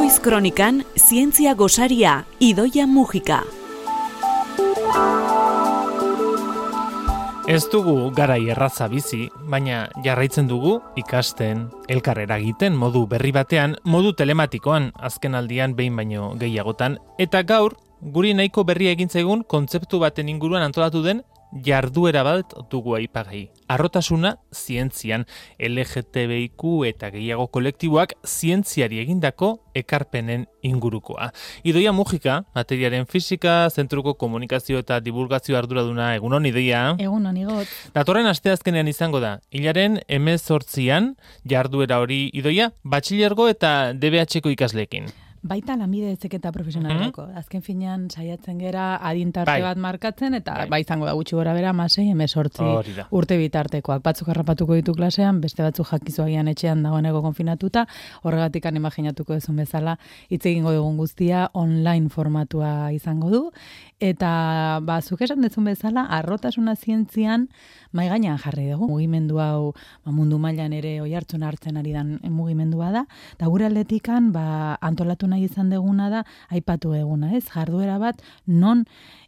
Noiz kronikan, zientzia gosaria, Idoia Mujika. Ez dugu garai erraza bizi, baina jarraitzen dugu ikasten, elkar eragiten modu berri batean, modu telematikoan, azken aldian behin baino gehiagotan, eta gaur, guri nahiko berria egin zaigun kontzeptu baten inguruan antolatu den jarduera bat dugu aipagai. Harrotasuna zientzian, LGTBIQ eta gehiago kolektiboak zientziari egindako ekarpenen ingurukoa. Idoia Mujika, materiaren fisika, zentruko komunikazio eta divulgazio arduraduna, egunon Idoia. Egunon Igot. Datorren asteazkenean izango da, hilaren 18an jarduera hori Idoia, batxilergo eta DBH-ko ikasleekin. Baita lanbide heziketa profesionalerako. Azken finean saiatzen gera adintarte bat markatzen, eta bai izango da gutxi gora bera 16-18 urte bitartekoak. Batzuk harrapatuko ditu klasean, beste batzuk jakizuagian etxean dagoeneko konfinatuta, horregatik imaginatuko duzun bezala, hitz egingo dugun guztia online formatua izango du, eta zuk esan duzun bezala, harrotasuna zientzian mai gainean jarri dugu. Mugimendu hau mundu mailan ere oihartzun hartzen ari dan mugimendua da, eta gure aldetikan antolatu nahi izan deguna da, aipatu eguna, ez? Jarduera bat, non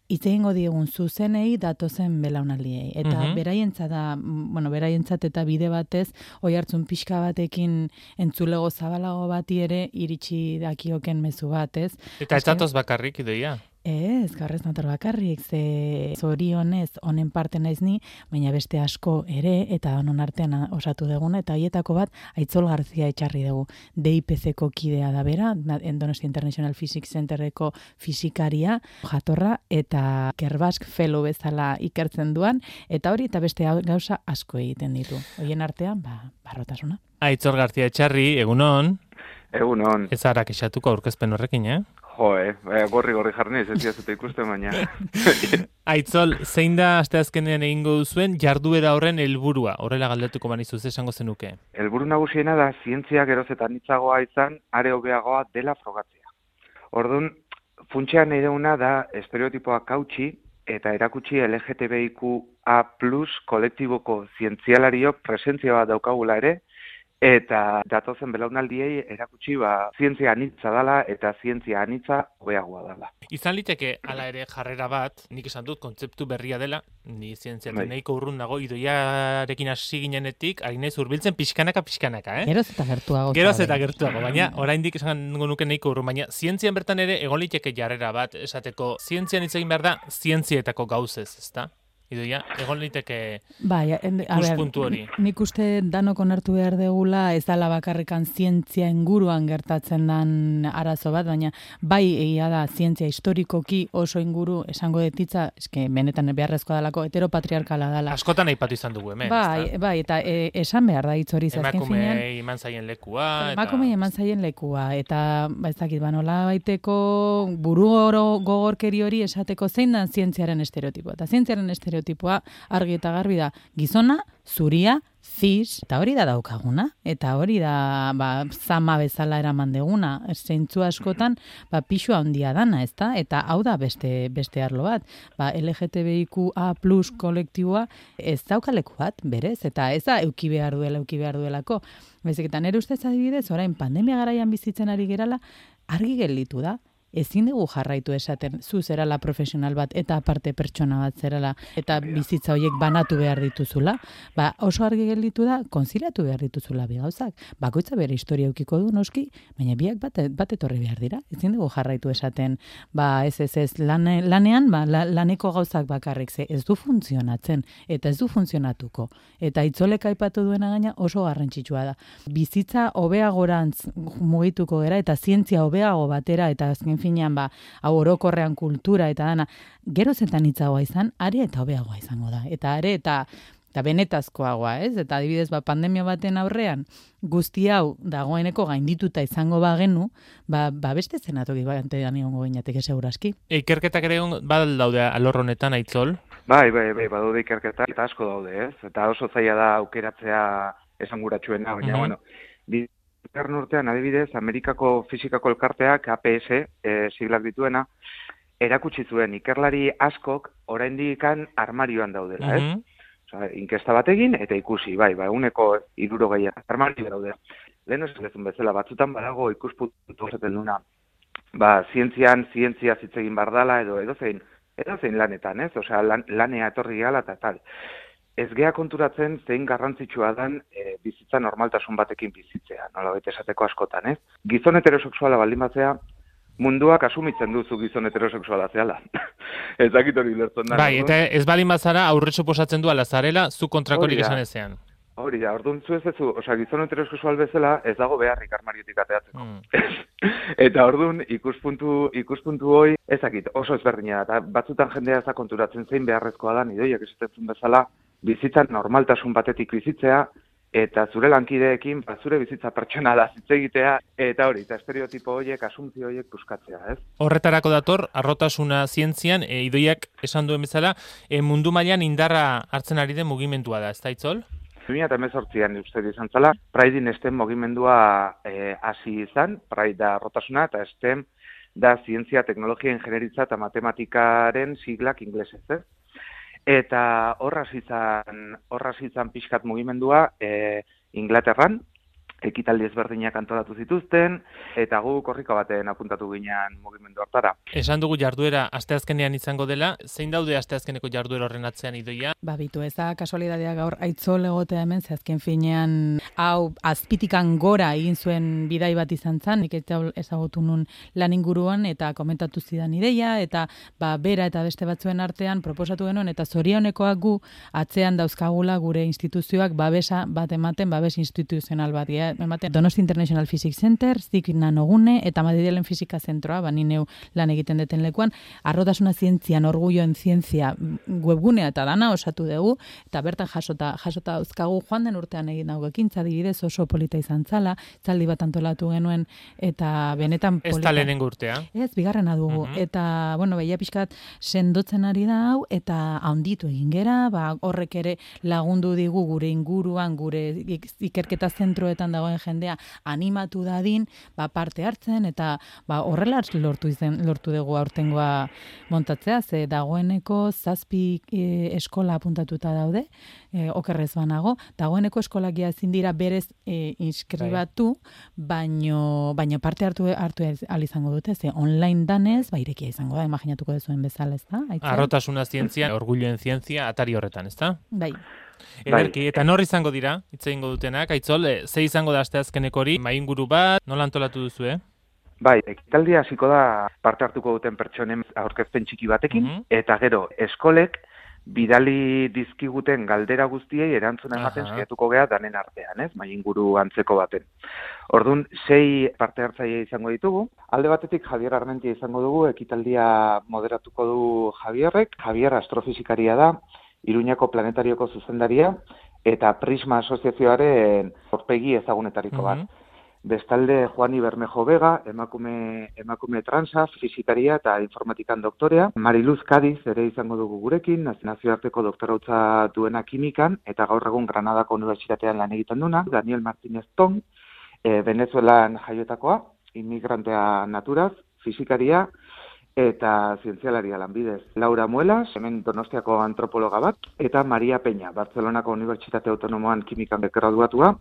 hitz egingo diegun zuzenei datozen belaunaldiei. Eta beraientzat eta bide batez, oihartzun pixka batekin entzulego zabalago bati ere iritsi dakioken mezu bat, ez? Eta ez datoz bakarrik, Idoia? Ez, gaurrez nator bakarrik, ze zorionez honen parte naiz ni, baina beste asko ere, eta honon artean osatu deguna, eta horietako bat, Aitzol Garzia etxarri dugu. DIPC-ko kidea da bera, Donostia International Physics Centerreko fisikaria, jatorra, eta Kerbask fellow bezala ikertzen duan, eta hori eta beste gauza asko egiten ditu. Horien artean, harrotasuna. Aitzol Garzia etxarri, egunon. Egunon. Ez ara kexatuko aurkezpen horrekin, gorri jarnez, ez diazute ikusten baina. Aitzol, zein da asteazkenean egingo duzuen jarduera horren helburua? Horrela galdetuko banizuz esango zenuke. Helburu nagusiena da zientzia geroz eta anitzagoa izan, are hobeagoa dela frogatzea. Orduan, funtsean nahi duguna da estereotipoak hautsi eta erakutsi LGTBIQA+ kolektiboko zientzialariok presentzia bat daukagula ere, eta datozen belaunaldiei erakutsi zientzia anitza dela eta zientzia anitza hobeagoa dela. Izan liteke hala ere jarrera bat, nik esan dut kontzeptu berria dela, ni zientziatik nahiko urrun nago, Idoiarekin hasi ginenetik, ari naiz hurbiltzen pixkanaka, Geroz eta gertuago. Baina oraindik esango nuke nahiko urrun, baina zientzian bertan ere egon liteke jarrera bat, esateko zientzian hitz egin behar da, zientzietako gauzez, ezta? Idoia, egon liteke ikuspuntu hori. Nik uste danok onartu behar degula, ez dala bakarrikan zientzia inguruan gertatzen dan arazo bat, baina bai egia da zientzia historikoki oso inguru esango detitza, eske benetan beharrezkoa dalako heteropatriarkala dala. Askotan aipatu izan dugu hemen. Bai, eta esan behar da hitz hori zazken finean. Emakumei eman zaien lekua. Emakumei eman zaien lekua, eta ez dakit, nola baiteko buru gogorkeri hori esateko zein dan zientziaren estereotipoa. Eta zientziaren estereotipoa argi eta garbi da gizona, zuria, cis, eta hori da daukaguna, eta hori da zama bezala eraman deguna, zeintzu askotan pixua handia dana, ezta? Eta hau da beste arlo bat, LGTBIQA+ kolektiboa ez daukaleku bat, berez, eta ez da euki behar duelako. Baizik eta nire ustez adibidez, orain pandemia garaian bizitzen ari gerala, argi gelditu da. Ezin dugu jarraitu esaten, zu zerala profesional bat eta aparte pertsona bat zerala eta bizitza horiek banatu behar dituzula, oso argi gelditu da, konziliatu behar dituzula bi gauzak. Bakoitza bere historia eukiko du noski, baina biak bat etorri behar dira. Ezin dugu jarraitu esaten, ez lanean, laneko gauzak bakarrik ez du funtzionatzen eta ez du funtzionatuko. Eta Aitzolek aipatu duena gaina oso garrantzitsua da. Bizitza hobeagorantz mugituko gera eta zientzia hobeago batera eta azken finean hau orokorrean kultura eta dana, geroz eta anitzagoa izan, are eta hobeagoa izango da. Eta are eta benetazkoagoa, ez? Eta adibidez, pandemia baten aurrean, guzti hau dagoeneko gaindituta izango bagenu, beste zenatoki batean egongo gineateke seguraski. Ikerketak ere daude alor honetan, Aitzol? Bai, badaude ikerketak eta asko daude, ez? Eta oso zaila da aukeratzea esanguratsuena, baina, Bigarren urtean, adibidez, Amerikako Fisikako Elkarteak, APS, siglak dituena, erakutsi zuen ikerlari askok oraindik armarioan daudela, ez? Inkesta bat egin eta ikusi, 160 armario daude. lehen esan dezun bezala, batzutan badago ikuspuntu esaten duna, zientzia hitz egin behar dela, edozein lanetan, ez? Osea, lanea etorri gala eta tal. Ez gea konturatzen zein garrantzitsua dan bizitza normaltasun batekin bizitzea, nolabait esateko askotan, ez? Gizon heterosexuala baldin batzea, munduak asumitzen duzu gizon heterosexuala zehala. Ez dakit hori lertzen da. Bai, eta ez baldin bazara aurre suposatzen du ala zarela, zu kontrakorik esan ezean. Hori da, orduan zu ez duzu, gizon heterosexual bezala ez dago beharrik armariotik ateatzeko. Eta orduan ikuspuntu hoi ezakit, oso ezberdina da, batzutan jendea ez da konturatzen zein beharrezkoa da, idoiak esaten bezala, bizitzan normaltasun batetik bizitzea, eta zure lankideekin, zure bizitza pertsonala hitz egitea, eta hori, eta estereotipo horiek, asumpzio horiek buskatzea, ez? Horretarako dator, harrotasuna zientzian, idoiak esan duen bezala, mundu mailan indarra hartzen ari den mugimendua da, ez da Itzol? 2018an uste izan zala, Pride-in STEM mugimendua hasi izan, Pride da harrotasuna, eta STEM da zientzia, teknologia, ingenieritza eta matematikaren siglak inglesez, ez? Eta horraz izan pixkat mugimendua Inglaterran, ekitaldi ezberdinak antolatu zituzten, eta gu korrika baten apuntatu ginen mugimendu hartara. Esan dugu jarduera asteazkenean izango dela, zein daude asteazkeneko jarduera horren atzean Idoia? Bitu, ez da kasualitatea gaur Aitzol egotea hemen, ze azken finean hau azpitikan gora egin zuen bidai bat izan zen, nik ezagutu nun lan inguruan eta komentatu zidan ideia, eta bera eta beste batzuen artean proposatu genuen, eta zorionekoak gu atzean dauzkagula gure instituzioak babesa bat ematen, babes instituzional bat, Donosti International Physics Center, Zik Nanogune eta Madrilen Fisika Zentroa, ni neu lan egiten deten lekuan, harrotasuna zientzian, orgulloen zientzia webgunea eta dana osatu dugu, eta bertan jasota dauzkagu joan den urtean egin dago ekintza, adibidez oso polita izan zala, zaldi bat antolatu genuen, eta benetan polita. Ez da lehenengo urtea? Ez, bigarrena dugu. Eta, behia pixkat sendotzen ari da hau, eta handitu egin gera, horrek ere lagundu digu gure inguruan, gure ikerketa zentroetan dagoen jendea animatu dadin, parte hartzen, eta horrela lortu dugu aurtengoa montatzea, ze dagoeneko 7 eskola apuntatuta daude, okerrez banago, dagoeneko eskolak ezin dira berez inskribatu, baino parte hartu ahal izango dute, ze online danez, irekia izango da, imaginatuko dezuen bezala, ez da? Harrotasuna zientzia, orgulloen zientzia, atari horretan, ez da? Bai. Ederki, eta nor izango dira, hitz egingo dutenak, Aitzol, ze izango da asteazkeneko hori, mainguru bat, nola antolatu duzu, Bai, ekitaldia hasiko da parte hartuko duten pertsonen aurkezpen txiki batekin, eta gero, eskolek bidali dizkiguten galdera guztiei erantzuna ematen saiatuko gea danen artean, ez? Mainguru antzeko baten. Orduan, 6 parte hartzaile izango ditugu. Alde batetik Javier Armentia izango dugu, ekitaldia moderatuko du Javierrek. Javier astrofisikaria da, Iruñako planetarioko zuzendaria, eta Prisma asoziazioaren aurpegi ezagunetariko bat. Bestalde Juani Bermejo Vega, emakume transa, fisikaria eta informatikan doktorea. Mariluz Cadiz ere izango dugu gurekin, nazioarteko doktorautza duena kimikan, eta gaur egun Granadako Unibertsitatean lan egiten duna. Daniel Martínez Tong, Venezuelan jaiotakoa, inmigrantea naturaz, fisikaria, eta zientzialaria lanbidez. Laura Muelas, hemen Donostiako antropologa bat, eta Maria Peña, Barcelonako Unibertsitate Autonomoan kimikan graduatua,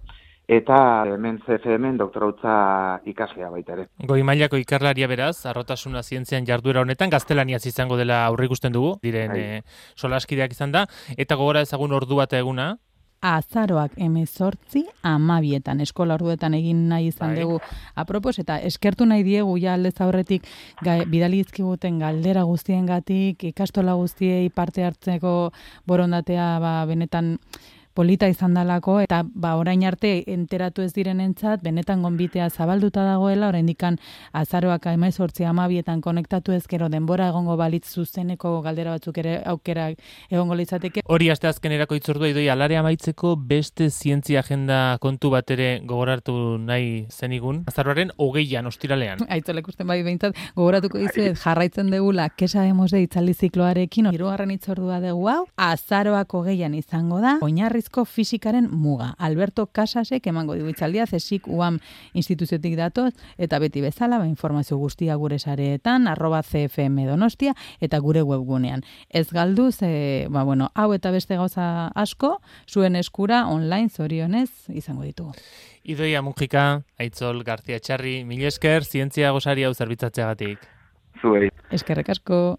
eta hemen CFM doktorautza ikaslea baita ere. Goi mailako ikerlaria beraz, harrotasuna zientzian jarduera honetan, gaztelaniaz izango dela aurreikusten dugu, diren solaskideak izan da, eta gogora ezagun ordua eta eguna, Azaroak 18:12 eskola orduetan egin nahi izan dugu apropos, eta eskertu nahi diegu ja aldez aurretik bidali dizkiguten galdera guztiengatik, ikastola guztiei parte hartzeko borondatea benetan polita izan dalako, eta orain arte enteratu ez direnentzat, benetan gonbitea zabalduta dagoela, oraindikan azaroak 18:12 konektatu ezkero denbora egongo balitz zuzeneko galdera batzuk ere aukera egongo litzateke. Hori asteazkenerako hitzordua Idoia, alare amaitzeko beste zientzia agenda kontu bat ere gogoratu nahi zenigun. Azaroaren 20an, ostiralean. Aitzolek usten behintzat, gogoratuko dizuet jarraitzen degula, que sabemos de itzaldi zikloarekin, 3. hitzordua dugu hau, azaroak 20an izango da, oinarri oinarrizko fisikaren muga. Alberto Casasek emango digu hitzaldia, CSIC UAM instituziotik datoz, eta beti bezala, informazio guztia gure sareetan, @CFM Donostia, eta gure webgunean. Ez galdu, hau eta beste gauza asko, zuen eskura online zorionez izango ditugu. Idoia Mujika, Aitzol García Txarri, mila esker, zientzia gosari hau zerbitzatzeagatik. Zuei. Eskerrik asko.